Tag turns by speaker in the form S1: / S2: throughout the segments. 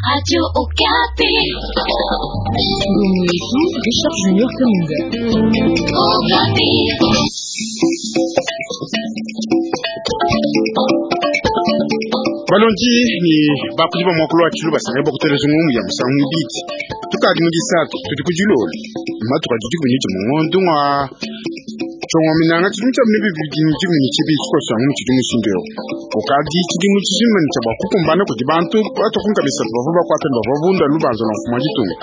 S1: Radio Okapi.
S2: Ndugu yetu Richard Junior Kaminga.
S1: Okapi.
S3: Balongi ni bakudi ba mwakulu wa tshilu basanga bakuteleza ngumu ya musangu mwibidi tukadi mu disatu tudi ku dilolo matuku adi dikumi ne mungondo ngwa tshongo minanga tshidimu tshia bine bibidi ne dikumi ne tshibidi tshikoso tshiangu mu tshidimu tshindu eu ukadi tshidimu tshijima ne tshia bua kukumbana kudi bantu batokunka misatu bavua bakuata ne bavua bunda lubanza lua mfumu wa ditunga.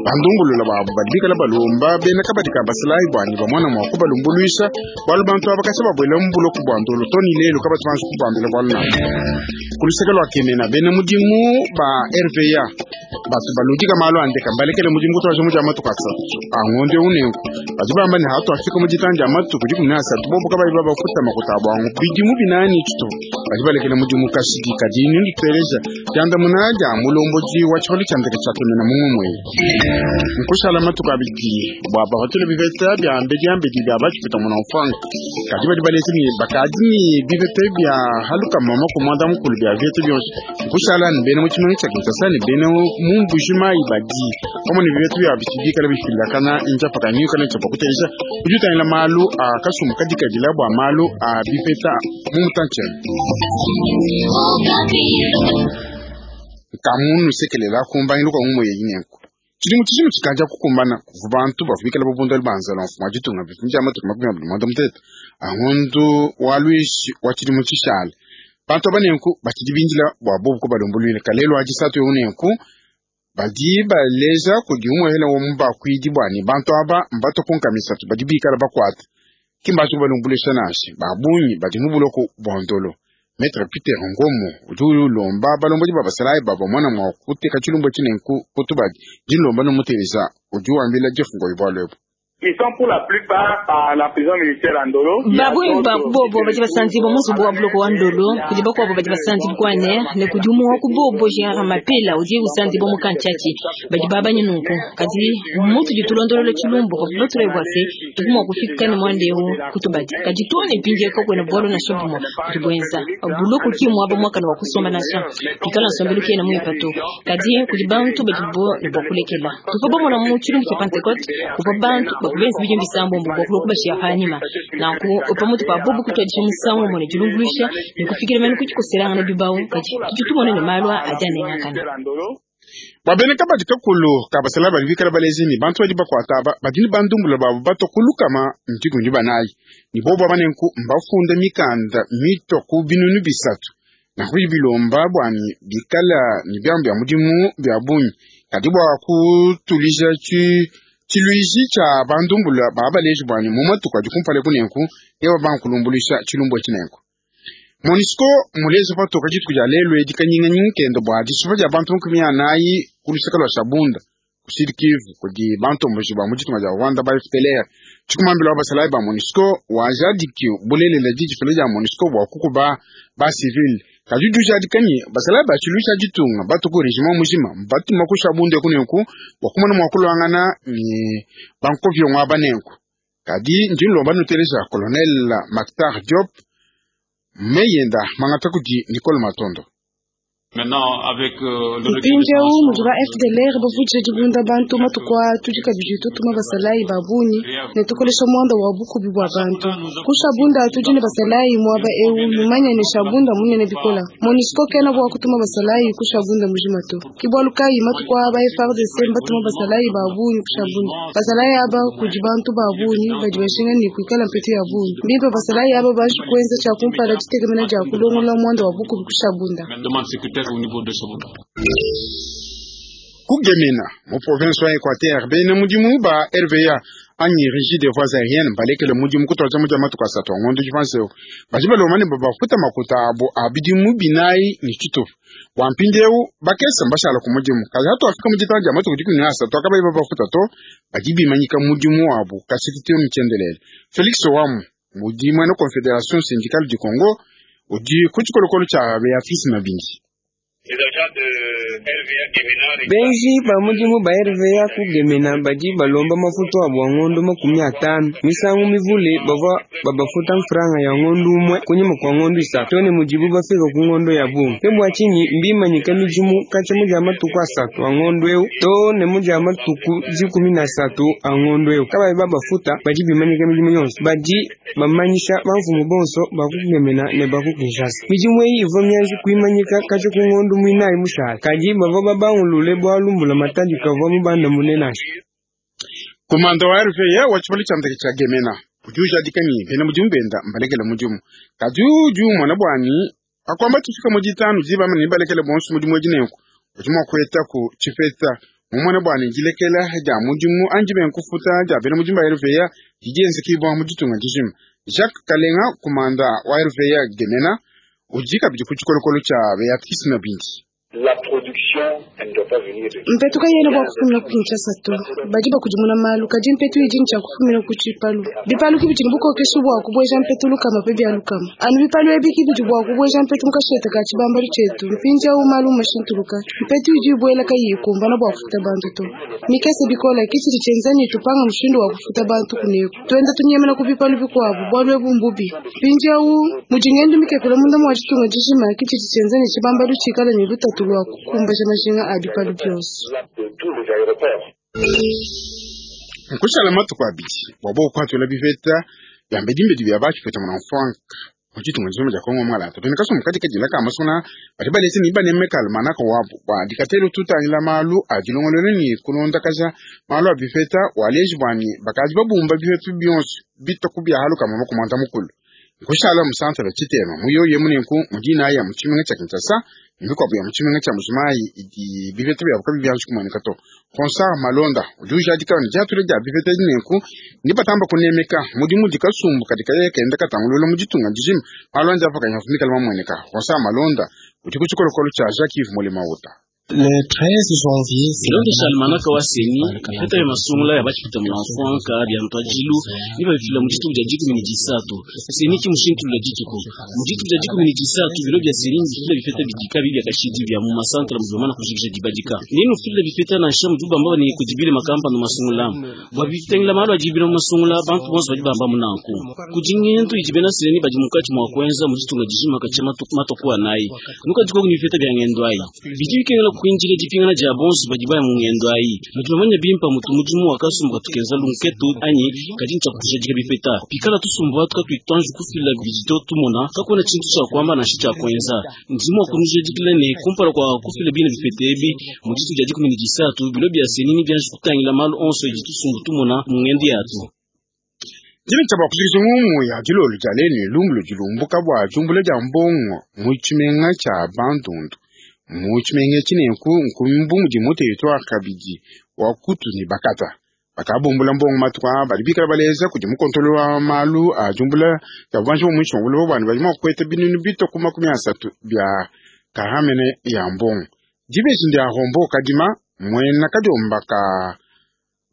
S3: Bandumbulula babu badi bikala balomba bena kabadi ka basalayi bua ne bamona mua kubalumbuluisha bualu bantu aba katshia babuela mu buloko bua ndolo to ne lelu kabatu banji kubambila bualu nanku. Ku luseke lua Kemena, bena mudimu ba RVA batu baludika malu a ndeka mbalekele mudimu kutuadija mu dia matuku asatu a ngondo eu. Nenku badi bamba ne hatuafika mu ditanu dia matuku 13 bobu kabayi babafuta makuta abu angu bidimu binayi ne tshitupa badi balekele mudimu kashidi. Kadi nunditeleja diandamuna dia mulombodi wa tshipalu tshia ndeke tshia Kemena mu ngumu eyi. Nkushala matuku abidi bua bapatule bipeta bia mbediambedi bia batshipeta muna mfuanka. Kadi badi baleja ne bakadi ne bipeta bia halukama makumi muanda mukulu bia vieta bionso. Nkushala ne bena mu tshimenga tshia Kinshasa ne bena mu Mbuji-Mayi badi pamue ne bipeta bia bitshidi bikala bifilakana njapa kanyuka ne tshia kuteleja udi utangila malu a kasumbu kadikadila bua malu a bipeta mu mutantshi. Nkamunu sekelela kumbangilu kwa ngumu yeyi nenku tshidimu tshijima tshikadi kukumbana kuvua bantu bavua bikala babunda lubanza lua mfumu wa ditunga bifumi bia matuku 29 a ngondo wa luishi wa tshidimu tshishala. Bantu aba nenku batshidi bindila bua bobu kubalumbuluila kalelu wa disatu eu nenku badi baleja kudi umuehela wa mubakuidi bua ne bantu aba mbatokunka misatu badi bikala bakuata ki mbaji kubalumbuluisha nansha ba bungi badi mu buloko bua ndolo. Maître Peter Ngomo udi ulomba balombodi ba basalayi bavua mwana mua kuteka tshilumbu etshi nenku kutubadi dilomba numuteleza udi wambila Jeff Ngoyi bualu ebu.
S4: Ils sont pour la plupart à la prison militaire à Ndolo.
S5: Babungi ba bobo badi basanzibwa mu nzubu wa buloko wa Ndolo, kudi bakuabo badi basanzibwa kwane ne kudi umue wa ku bobo Gérard Mapela udi usanzibwa mu Kantshatshi. Badi babanye nunku kadi mutudi tulondolola tshilumbu batulayi bua se tudi mua kufika ne muanda eu kutubadi kadi too ne mpindieu kakuena bualu nansha bumue budi buenza buloko ki muaba muakane wa kusomba nansha pikala nsombelu kena muimpe to kadi kudi bantu badibo ne bua kulekela. Tuvua bamona mu tshilumbu tshia Pentecote kuvua bantu bakubenza bidimu bisambombo bua kulua kubashiya panyima nanku pamutu pa bobu kutuadija musangu umue ne dilumbuluisha ne kufikila mene ku dikoselangana bibawu kadi tudi tumona ne malu adi anengakana.
S3: Bua bena kabadi kakulu ka basalayi badi bikala baleja ne bantu badi bakuata aba badi ne bandumbula babu batua ku lukama ndikumi ne banayi ne bobu aba nenku mbafunda mikanda mitua ku binunu bisatu nanku bidi bilomba bua ne bikala ne biamu bia mudimu bia bungi kadi bua kutulija tshiluishi tshia bandumbula babaleji bua ne mu matuku adi kumpala eku nenku eba bankulumbuluisha tshilumbu etshi nenku. MONUSCO muleja patoka dituku dia lelu edi kanyinganyinga kende bua dishipa dia bantu 40 ku luseke lua Shabunda ku Sud Kivu kudi bantomboji ba mu ditunga dia Rwanda ba FDLR. Tshikumambila wa basalayi ba MONUSCO wajadiki bulelela didifila dia MONUSCO bua kukuba ba civil kadi udi ujadika ne basalayi ba tshiluishi tshia ditunga batu ku regiment mujima mbatuma ku Shabunda eku nenku bua kumona mua kuluangana ne bankoviongo aba nenku. Kadi ndi nlomba nuteleja Colonel Makhtar Diop meyenda mangata kudi Nicole Matondo.
S6: Mpindieu mudi ba FDLR bavudija dibunda bantu matuku aa, tudi kabidi tutuma basalayi ba bungi ne tukolesha muanda wa bukubi bua bantu. Ku Shabunda tudi ne basalayi muaba eu, numanye ne Shabunda munene bikola. MONUSCO kena bua kutuma basalayi ku Shabunda mujima to. Ke bualu kayi matuku aa ba FARDC mbatuma basalayi ba bungi ku Shabunda. Basalayi aba kudi bantu ba bungi badi bajinga ne kuikala mpetu ya bungi. Mbimpe basalayi aba banji kuenza tshia kumpala ditekemena dia kulongolola muanda wa bukubi ku Shabunda.
S3: Kugemena mu province wa Equateur bena mudimu ba RVA anyi Régie des voies aériennes balekele mudimu kutuadija mu dia matuku asatu a ngondo dipanse eu badi balomba ne babafuta makuta abo a bidimu binayi ne tshitupa bua mpindieu bakese mbashala ku mudimu kadi hatuafika mu ditanu dia matuku 13 akabayi babafuta to badi bimanyika mudimu wabu kashidi to mitshiendelele. Felix Owamu mudi muena Confederation syndicale du Congo udi ku tshikolokolo tshia Beatrice Mabindi.
S7: Benji ba mudimu ba RVA ku Gemena badi balomba mafutu abu a ngondo 50. Misangu mivule bavwa babafuta mfranga ya ngondo umwe kunyima kwa ngondo 3 too ne mudibu bafika ku ngondo ya bungi. Ke bua tshinyi mbimanyika midimu katshia mu dia matuku 3 a ngondo eu too ne mu dia matuku 13 a ngondo eu. Kabayi babafuta badi bimanyika midimu yonso, badi bamanyisha bamfumu bonso ba ku Gemena ne ba ku Kinshasa. Midimu eyi ivwa mianji kuimanyika katshia ku ngondo mwinayi mushale, kadi bavwa babangulule bwalu mbulamatadi kavwa mubandamune nansha.
S3: Komanda wa RVA wa tshibalo tsha ndeke tsha Gemena udi ujadika ne bena mudimu benda mbalekele mudimu, kadi udi umona bwani akwamba tshifika mu ditanu diba ne balekele bonso mudimu edi nenku udi mua kuetaku tshipeta mumone bwani dilekela dia mudimu anji benkufuta dia bena mudimu ba RVA didi enzekibwa mu ditunga dijima. Jacques Kalenga komanda wa RVA Gemena udi kabidi ku tshikolokolo tsha Beatrice Nabindi.
S6: Mpetu kayena bua kufumina ku Kinshasa to, badi bakudimuna malu, kadi mpetu idi ntshia kufumina ku tshipalu. Bipalu kibidi ne bukokeshi bua kubueja mpetu lukama pe bia lukama. Anu bipalu ebi kibidi bua kubueja mpetu mu kashete ka tshibambalu tshietu. Mpindieu malu mashintuluka, mpetu idi ibuela kayiyi ikumbana bua kufuta bantu to. Mikese bikola ke tshidi tshienza ne tupanga mushindu wa kufuta bantu kuneku. Tuenda tunyemena ku bipalu bikuabu, bualu ebu mbubi. Mpindieu mudi ngendu mikepele munda mua ditunga dijima ke tshidi tshienza ne tshibambalu tshikale ne lutatu lua kukumbaja majinga a bipalu bionso.
S3: Nkushala matuku abidi bua bokuhatula bipeta bia mbedimbedi bia batshipeta muna mfwanka mu ditunga dijima dia Kongo mwalata. Bena kasumbu kadi kadila ka masungula badi balese ne banemeka almanaka wabu bua dikatelu tutangila malu a dilongolola ne kulondakaja malu a bipeta waleji bwani bakadi babumba bipeta bionso bitoku bia haluka mama kumanda mukulu. Nkushala mu centre tshitema mu yoyo munenku mu dina ya mu tshimenga tsha Kinshasa mikuabu ya mu tshimenga tsha Mbuji-Mayi idi bipeta biabu kabi bianji kumueneka to. Ronsard Malonda udi ujadika ne diatula dia bipeta dinenku ne batamba kunemeka mudimu udi kasumbu kadi kaya kenda katangulula mu ditunga dijima malu andi apa kanya mikala mamueneka. Ronsard Malonda udi ku tshikolokolo tsha Jacques Yves Molema-Ota.
S8: Le 13 janvier,
S9: Bilondesha almanaka wa CENI, bipeta bia masungula ya batshipeta muna mfwanka bia ntwajilu ne babifila mu dituku dia 13. CENI ki mushintulula dituku. Mu dituku dia 13 bilo bia CENI bifila bipeta bidika bia kashidi bia mu masantra mu bamana kujikija dibadika. Nenu fila bipeta nansha mu dubamba ne kudibile makampa no masungula. Bwa bitengela malu adibile mu masungula bantu bonso badi bamba munanku. Kudi ngendo idi bena CENI badi mukati mwa kwenza mu ditunga dijima katshia matuku anayi. Nuka dikoku ni bipeta bia ngendo ayi. Bidi bikengela kuinjila dipingana dia bonso badi baya mu ngendo ayi. Nudi bamanya bimpa mutu mudimu wa kasumbu katukenza lunketu anyi kadi ntshia kujadika bipeta. Pikala tusumbu atu katuitanji kufila bidito tumona kakuena tshintu tshia kuamba nansha tshia kuenza. Ndimu wa kunujadikila ne kumpala kwa kufila bina bipeta ebi mu ditu dia 13 bilo bia CENI ni bianji kutangila malu onso idi tusumbu tumona mu ngendo yatu.
S3: Dina tshia bakujikija ngumu ya dilolo dia lenu lumbu dilumbuka bua diumbula dia mbongo mu tshimenga tsha Bandundu. Mu tshimenga tshinenku nkumbu mudi mu territoire kabidi wa Kutu ne Bakata. Bakabumbula mbongo matuku aa badi bikala baleza kudi mukontolo wa malu a diumbula dia bubanji bua muinshi mua buloba buani badi mua kukweta binunu bitoku 30 bia karamene ya mbongo. Dibeji ndia Rombo Kadima mwena kadiomba ka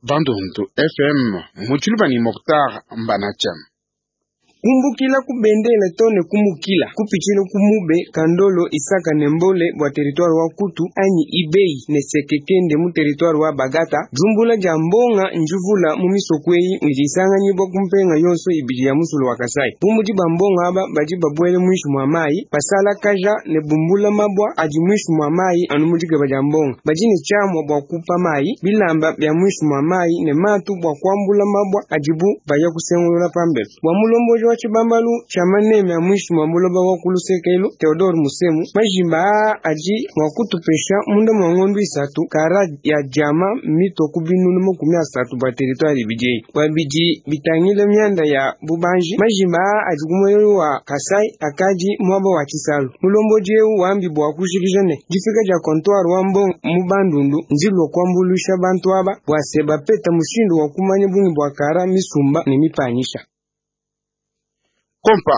S3: Bandundu FM mu tshiluba ne Mokhtar Mbanacham.
S7: Kumbukila kubendele tone kumukila kupichile kumube kandolo isaka nembole bwa territoire wa Kutu anyi ibei ne sekekende mu territoire wa Bagata jumbula dia mbonga njuvula mu misokweyi idi isanganyibwa kumpenga yonso ibidi ya musulu wa Kasai. Bumudi ba mbonga aba badi babwele mwishu mwa mayi basala kaja ne bumbula mabwa adi mwishu mwa mayi anu mudikeba dia mbonga badi ne chamwa bwa kupa mayi bilamba bya mwishu mwa mayi ne matu bwa kuambula mabwa adibu baya kusengulula pambelo bwa mulomboji wa tshibambalu tshia maneme ya mwishu mwa buloba wa kulusekelo Theodore Musemu majimba aa adi mwa kutupesha munda mwa ngondo 3 kara ya diama mito ku binunu 30 bwa territoire ibidi eyi bwa bidi bitangile mianda ya bubanji majimba aa adi ku muelelu wa Kasai akadi mwaba wa tshisalu mulomboji eu wambi bwa kujikija ne difika dia comptoir wa mbongo mu Bandundu ndilua kuambuluisha bantu aba bwa se bapeta mushindu wa kumanya bungi bwa kara misumba ne mipanyisha.
S3: Kompa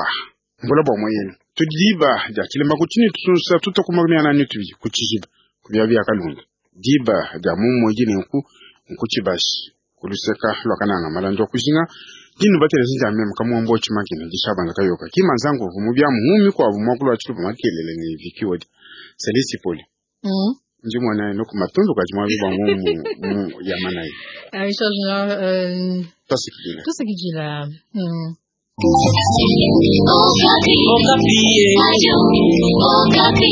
S3: mbula bwa moyeni tudiba dia tshilemba kutshini tusunsa tutakuma miana ni tubi kutshijiba kubia bia kalunga diba dia mumwe dinenku nkutshibashi kuluseka lwakananga malandi wa kujinga dinu batelezi dia meme kamuombo tshimakina dishabanga kayoka kimanzangu vumu bia muhumi kwa vumu wakulu wa tshiluba makelele ne vikiwodi selisi poli. Ndi mwana no kumatundu kaji mwa biba mu mu ya manayi.
S10: Richard Junior,
S3: Tosikidila.
S10: Tosikidila.
S1: Okapi. Okapi.